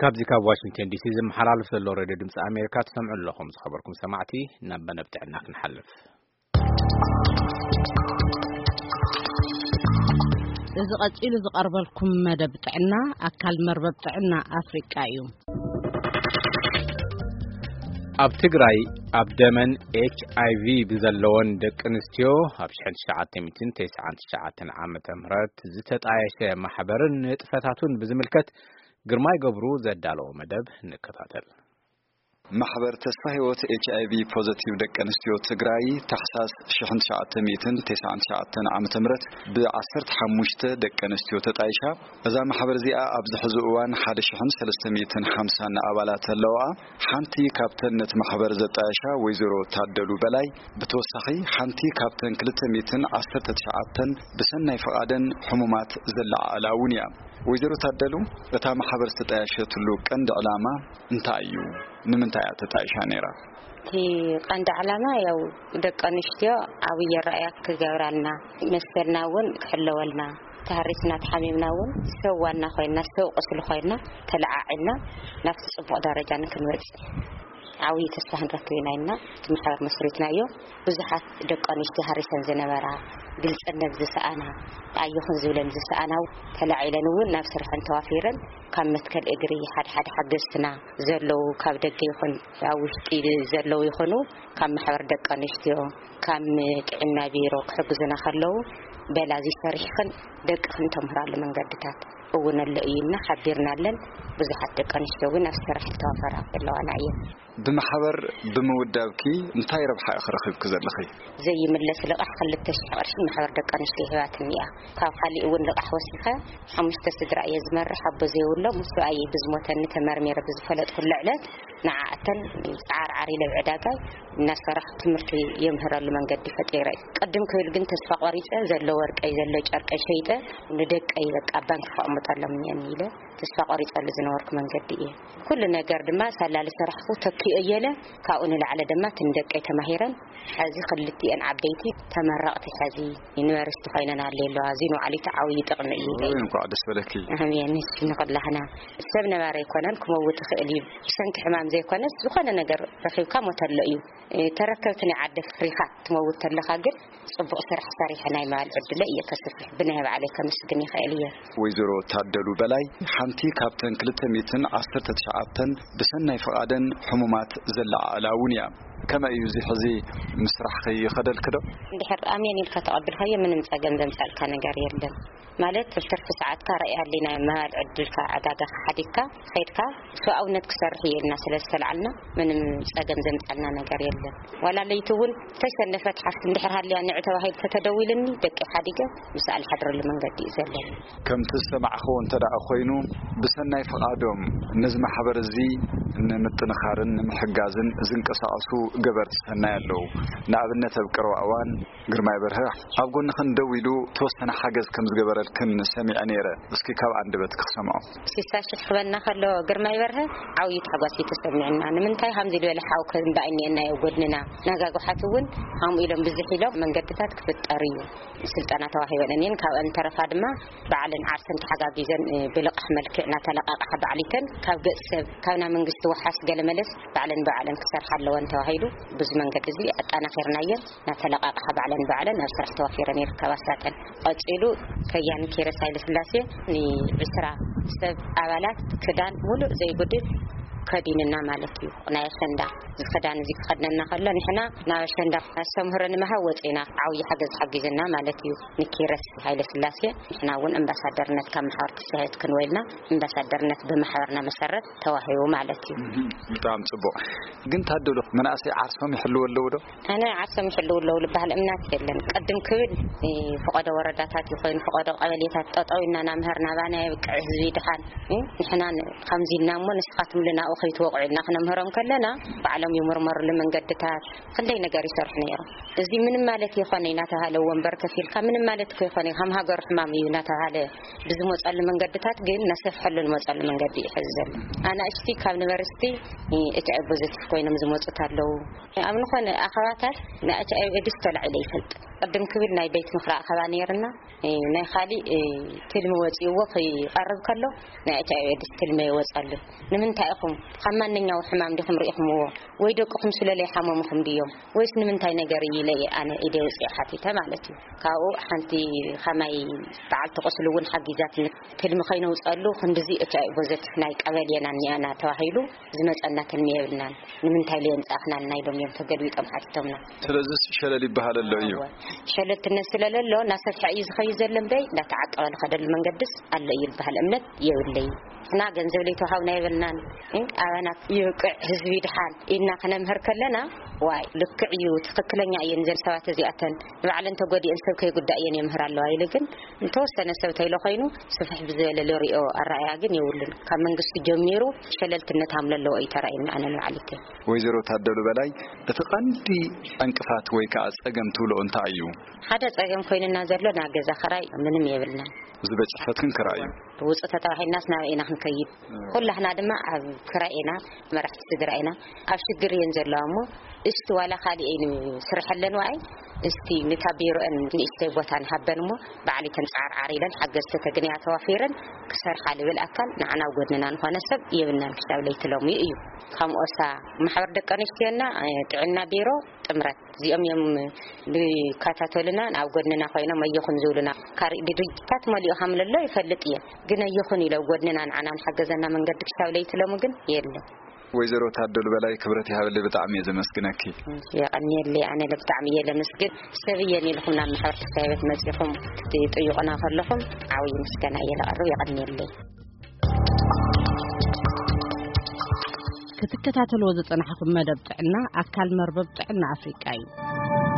ካብዚ ካብ ዋሽንግተን ዲሲ ዝመሓላለፍ ዘሎ ሬድዮ ድምፂ ኣሜሪካ ትሰምዑ ኣለኹም። ዝኸበርኩም ሰማዕቲ፣ ናብ መደብ ጥዕና ክንሓልፍ። እዚ ቀጺሉ ዝቐርበልኩም መደብ ጥዕና ኣካል መርበብ ጥዕና ኣፍሪቃ እዩ። ኣብ ትግራይ ኣብ ደመን ኤች ኣይ ቪ ብዘለወን ደቂ ኣንስትዮ ኣብ ሽሕን ትሽዓተ ሚእትን ተስዓን ትሽዓተን ዓመተ ምህረት ዝተጣየሸ ማሕበርን ንጥፈታቱን ብዝምልከት ግርማይ ገብሩ ዘዳለዎ መደብ ንከታተል። ማሕበር ተስፋ ህይወት ኤች ኣይ ቪ ፖዘቲቭ ደቂ ኣንስትዮ ትግራይ ታሕሳስ ሽሕን ትሽዓተ ሚእትን ተስዓን ትሽዓተን ዓመተ ምህረት ብ ዓሰርተ ሓሙሽተ ደቂ ኣንስትዮ ተጣይሻ። እዛ ማሕበር እዚኣ ኣብዚ ሕዚ እዋን ሓደ ሽሕን ሰለስተ ሚእትን ሓምሳን ኣባላት ኣለዋ። ሓንቲ ካብተን ነቲ ማሕበር ዘጣየሻ ወይዘሮ ታደሉ በላይ ብተወሳኺ ሓንቲ ካብተን ክልተ ሚእትን ዓሰርተ ትሽዓተን ብሰናይ ፍቓደን ሕሙማት ዘለዓዕላ እውን እያ። ወይዘሮ ታደሉ፣ እታ ማሕበር ዝተጣየሸትሉ ቀንዲ ዕላማ እንታይ እዩ? ንምንታይ እያ ተጣይሻ ነይራ? እቲ ቀንዲ ዕላማ ያው ደቂ ኣንስትዮ ዓብዪ ኣረኣእያ ክገብራልና፣ መሰልና እውን ክሕለወልና፣ ተሃሪስና ተሓሚምና እውን ሰብ ዋና ኮይና ሰብ ቁስሊ ኮይና ተለዓዒልና ናብቲ ጽቡቕ ደረጃ ንክንበጽሕ ዓብዪ ተስፋ ክንረክብ ኢና ኢልና እቲ ማሕበር መስሪትናዮ። ብዙሓት ደቂ ኣንስትዮ ሃሪሰን ዝነበራ፣ ግልጽነት ዝሰኣና፣ ኣይኹን ዝብለን ዝሰኣና ተላዒለን እውን ናብ ስርሐን ተዋፊረን ካብ መትከል እግሪ ሓደ ሓደ ሓገዝትና ዘለዉ ካብ ደገ ይኹን ኣብ ውሽጢ ዘለዉ ይኹኑ ካብ ማሕበር ደቂ ኣንስትዮ ካብ ጥዕና ቢሮ ክሕግዙና ከለዉ በላ እዚ ሰሪሕኽን ደቅኽን ተምህራሉ መንገድታት እውን ኣሎ እዩ ኢልና ሓቢርናለን። ብዙሓት ደቂ ኣንስትዮ እውን ኣብ ስራሕ ዝተዋፈራ ዘለዋና እየን። ብማሕበር ብምውዳብኪ እንታይ ረብሓ ኢኺ ረኺብኪ ዘለኺ? ዘይምለስ ልቓሕ ክልተ ሽሕ ቅርሺ ማሕበር ደቂ ኣንስትዮ ሂባትኒ እያ። ካብ ካሊእ እውን ልቓሕ ወሲኸ ሓሙሽተ ስድራ እየ ዝመርሕ፣ ኣቦ ዘይብሎም፣ ሰብኣየይ ብዝሞተኒ ተመርሚረ ብዝፈለጥኩሉ ዕለት ንዓኣተን ጻዓርዓር ኢለ ኣብ ዕዳጋይ እናሰራሕ ትምህርቲ የምህረሉ መንገዲ ፈጢረ። ቅድም ክብል ግን ተስፋ ቆሪጸ ዘሎ ወርቀይ ዘሎ ጨርቀይ ሸይጠ ንደቀይ በቃ ኣብ ባንክ ከቕምጠሎም እኒአኒ ኢለ ተስፋ ቆሪጸሉ ዝነበርኩ መንገዲ እየ። ኩሉ ነገር ድማ ሳላ ዝሰራሕኩ ተኪኦ እየለ ካብኡ ንላዕለ ድማ ትንደቀይ ተማሂረን ሕዚ ክልቲኤን ዓበይቲ ተመረቕቲ ሕዚ ዩኒቨርሲቲ ኮይነን ኣለዋ። እዚ ንባዕሉ እቲ ዓብዪ ጥቕሚ እዩ ኢለ እየ። እንኳዕ ደስ በለኪ። ኣሜን። ንስ ንኹላህና ሰብ ነባሪ ኣይኮነን ክመውት ይኽእል እዩ። ብሰንኪ ሕማም ዘይኮነስ ዝኾነ ነገር ረኺብካ ሞት ኣሎ እዩ። ተረከብቲ ናይ ዓዲ ፍሪኻ ትመውት ተለኻ ግን ጽቡቕ ስራሕ ሰሪሐ ናይ ምባል ዕድለ እየ ከስፍሕ ብናይ ባዕለይ ከመስግን ይኽእል እየ። ወይዘሮ ታደሉ በላይ ሓንቲ ካብተን ክልተ ሚእትን ዓሰርተ ትሽዓተን ብሰናይ ፍቓደን ሕሙማት ዘለዓዕላ እውን እያ። ከመይ እዩ እዚ ሕዚ ምስራሕኺ ይኸደልኪ ዶ? እንድሕር ኣሜን ኢልካ ተቐብልካዮ ምንም ጸገም ዘምጻልካ ነገር የለን። ማለት ትርፊ ሰዓትካ ራእይ ሃሊና ምባል ዕድልካ ዕዳጋኻ ሓዲግካ ኸይድካ ሰብኣውነት ክሰርሕ እየ ኢልና ስለ ዝተላዓልና ምንም ጸገም ዘምጻልና ነገር የለን። ዋላ ለይቲ እውን ተሸነፈት ሓፍቲ እንድሕር ሃልያ ንዕ ተባሂሉ ተተደዊልኒ ደቂ ሓዲገ ምስኣ ዝሓድረሉ መንገዲ እዩ ዘለኒ። ከምቲ ዝሰማዕኽዎ እንተ ደኣ ኮይኑ ብሰናይ ፍቓዶም ነዚ ማሕበር እዚ ንምጥንኻርን ንምሕጋዝን ዝንቀሳቐሱ ገበርቲ ሰናይ ኣለዉ። ንኣብነት ኣብ ቀረባ እዋን ግርማይ በርሀ ኣብ ጎንኽን ደው ኢሉ ተወሰነ ሓገዝ ከም ዝገበረልክን ሰሚዐ ነይረ። እስኪ ካብ ኣንደበትኪ ክሰምዖ። ስሳ ሽሕ ክበና ከሎ ግርማይ በርሀ ዓብዪ ታሕጓስ እዩ ተሰሚዕና። ንምንታይ ከምዚ ዝበለ ሓው ከ እምበኣይ እኒአናዮ ጎድንና። ነጋጉሓት እውን ከምኡ ኢሎም ብዝሕ ኢሎም መንገድታት ክፍጠር እዩ ስልጠና ተዋሂበን እኒአን። ካብአን ተረፋ ድማ ባዕለን ዓርሰን ተሓጋጊዘን ብልቓሕ መልክዕ እናተለቃቕሓ ባዕሊተን ካብ ገጽ ሰብ ካብ ናይ መንግስቲ ወሓስ ገለመለስ ባዕለን ባዕለን ክሰርሓ ኣለወን ተባሂሉ ብዙ መንገዲ እዚ ኣጠናኺርናየን። እናተለቃቕሓ ባዕለን ባዕለን ኣብ ስራሕ ተዋፊረን ይርከባ። ሳተን ቀጺሉ ከያኒ ኪሮስ ሃይለስላሴ ንዕስራ ሰብ ኣባላት ክዳን ሙሉእ ዘይጉድል ከዲንና ማለት እዩ። ናይ ኣሸንዳ እዚ ክዳን እዚ ክኸድነና ከሎ ንሕና ናብ ኣሸንዳ ኣስተምህሮ ንምሃብ ወፂና ዓብዪ ሓገዝ ሓጊዝና ማለት እዩ። ንኪሮስ ሃይለስላሴ ንሕና እውን ኣምባሳደርነት ካብ ማሕበር ተስፋ ህይወት ክንወልና ኣምባሳደርነት ብማሕበርና መሰረት ተዋሂቡ ማለት እዩ። ብጣዕሚ ጽቡቕ። ግን ታደሉ መናእሰይ ዓርሶም ይሕልው ኣለዉ ዶ? ኣነ ዓርሶም ይሕልው ኣለዉ ዝበሃል እምነት የለን። ቅድም ክብል ፈቐዶ ወረዳታት ይኾይኑ ፈቐዶ ቀበሌታት ጠጠው ኢልና ናምህር ናባና የብቅዕ ህዝቢ ድሓን ንሕና ከምዚ ኢልና እሞ ንስኻትም ልና ከይትወቕዑ ኢልና ክነምህሮም ከለና፣ ባዕሎም ይምርመሩሉ መንገድታት፣ ክንደይ ነገር ይሰርሑ ነይሮም። እዚ ምንም ማለት ይኾነ እናተባሃለ ወንበር ከፊልካ፣ ምንም ማለት እኮ ይኾነ፣ ከም ሃገሩ ሕማም እዩ እናተባሃለ ብዝመፀሉ መንገድታት ግን እናሰፍሐሉ ዝመፀሉ መንገዲ እዩ ሕዚ ዘሎ። ኣናእሽቲ ካብ ዩኒቨርሲቲ ኤች ኣይ ቪ ፖዘቲቭ ኮይኖም ዝመፁት ኣለዉ። ኣብ ዝኾነ ኣኸባታት ናይ ኤች ኣይ ቪ ኤድስ ተላዒለ ይፈልጥ። ቅድም ክብል ናይ ቤት ምኽሪ ኣኸባ ነይርና። ናይ ካሊእ ትልሚ ወፂእዎ ክይቐርብ ከሎ፣ ናይ ኤች ኣይ ቪ ኤድስ ትልሚ ይወፀሉ። ንምንታይ ኢኹም ካብ ማንኛው ሕማም ዲኹም ርኢኹምዎ? ወይ ደቅኹም ስለ ለይሓመሙኹም ድዮም? ወይስ ንምንታይ ነገር እዩ ኢለ እየ ኣነ ኢደ ውፅእ ሓቲተ ማለት እዩ። ካብኡ ሓንቲ ከማይ በዓልቲ ቁስሊ እውን ሓጊዛትኒ። ትልሚ ከይነውፀሉ ክንድዚ ኤች ኣይ ቪ ፖዘቲቭ ናይ ቀበሌና እኒኣና ተባሂሉ ዝመፀና ትልሚ የብልናን። ንምንታይ ለየምፃእኽናልና ኢሎም እዮም ተገልቢጦም ሓቲቶምና። ስለዚ ሸለል ይበሃል ኣሎ እዩ። እወ። ሸለልትነት ስለለሎ እናሰፍሐ እዩ ዝኸይድ ዘሎ እምበይ፣ እንዳተዓቀበ ዝኸደሉ መንገድስ ኣሎ እዩ ዝበሃል እምነት የብለይ። ንሕና ገንዘብ ለይተዋሃብና የብልናን። እ፣ ኣባና ይብቅዕ ህዝቢ ድሓን ኢልና ክነምህር ከለና፣ ዋይ ልክዕ እዩ፣ ትኽክለኛ እየን ዘን ሰባት እዚኣተን፣ ንባዕለን ተጎዲአን ሰብ ከይጉዳእ እየን የምህር ኣለዋ ኢሉ ግን እንተወሰነ ሰብ ተይሎ ኮይኑ ስፍሕ ብዝበለ ለሪኦ ኣረኣያ ግን የብሉን። ካብ መንግስቲ ጀሚሩ ሸለልትነት ሃምለለዎ እዩ ተራእዩና ኣነ ንባዕሊተይ። ወይዘሮ ታደሉ በላይ፣ እቲ ቀንዲ ዕንቅፋት ወይ ከዓ ጸገም ትብሎ እንታይ እዩ? ሓደ ጸገም ኮይንና ዘሎ ናይ ገዛ ክራይ ምንም የብልናን። ዝበጽሕ ፈትክን ክራይ እዩ። ውጹእ ተተባሂልናስ ናበይ ኢና ክንከይድ? ኩላህና ድማ ኣብ ክራይ ኢና፣ መራሕቲ ስድራ ኢና። ኣብ ሽግር እየን ዘለዋ እሞ፣ እስቲ ዋላ ካሊእ እየን ስርሐለን ዋኣይ፣ እስቲ ንታ ቢሮአን ንእሽተይ ቦታ ንሃበን እሞ፣ ባዕሊተን ጻዕርዓር ኢለን ሓገዝቲ ተግንያ ተዋፊረን ክሰርሓ ልብል ኣካል ንዓና ኣብ ጎድንና ንኾነ ሰብ የብልናን ክሳብ ለይቲ ሎሚ እዩ። ከም ኦሳ ማሕበር ደቂ ኣንስትዮና፣ ጥዕና ቢሮ፣ ጥምረት እዚኦም እዮም ዝከታተሉና፣ ኣብ ጎድንና ኮይኖም ኣየኹን ዝብሉና። ካሪእ ድርጅታት መሊኡ ከም ለሎ ይፈልጥ እየ፣ ግን ኣየኹን ኢሎ ኣብ ጎድንና ንዓና ንሓገዘና መንገዲ ክሳብ ለይቲ ሎሚ ግን የለን። ወይዘሮ ታደሉ በላይ፣ ክብረት ይሃበለይ፣ ብጣዕሚ እየ ዘመስግነኪ። የቐንየለይ፣ ኣነ ብጣዕሚ እየ ለመስግን። ሰብ እየን ኢልኩም ናብ ማሕበር ተስፋ ህይወት መጺኹም ክትጥይቑና ከለኹም ዓብዪ ምስጋና እየ ለቐርብ። የቐንየለይ። ክትከታተልዎ ዝጸናሕኩም መደብ ጥዕና ኣካል መርበብ ጥዕና ኣፍሪቃ እዩ።